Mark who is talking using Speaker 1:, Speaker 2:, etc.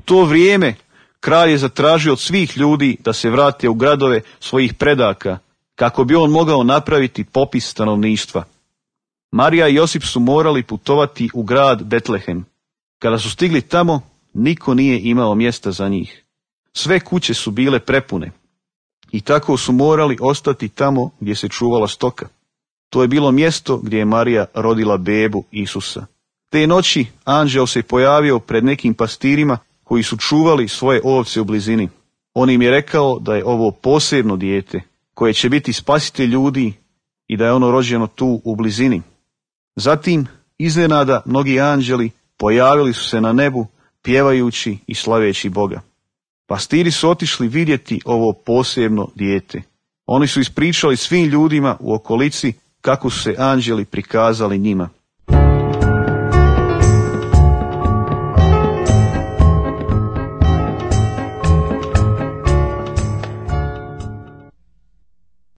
Speaker 1: to vrijeme kralj je zatražio od svih ljudi da se vrate u gradove svojih predaka, kako bi on mogao napraviti popis stanovništva. Marija i Josip su morali putovati u grad Betlehem. Kada su stigli tamo, niko nije imao mjesta za njih. Sve kuće su bile prepune i tako su morali ostati tamo gdje se čuvala stoka. To je bilo mjesto gdje je Marija rodila bebu Isusa. Te noći anđeo se pojavio pred nekim pastirima koji su čuvali svoje ovce u blizini. On im je rekao da je ovo posebno dijete koje će biti spasitelj ljudi i da je ono rođeno tu u blizini. Zatim, iznenada, mnogi anđeli pojavili su se na nebu, pjevajući i slaveći Boga. Pastiri su otišli vidjeti ovo posebno dijete. Oni su ispričali svim ljudima u okolici kako su se anđeli prikazali njima.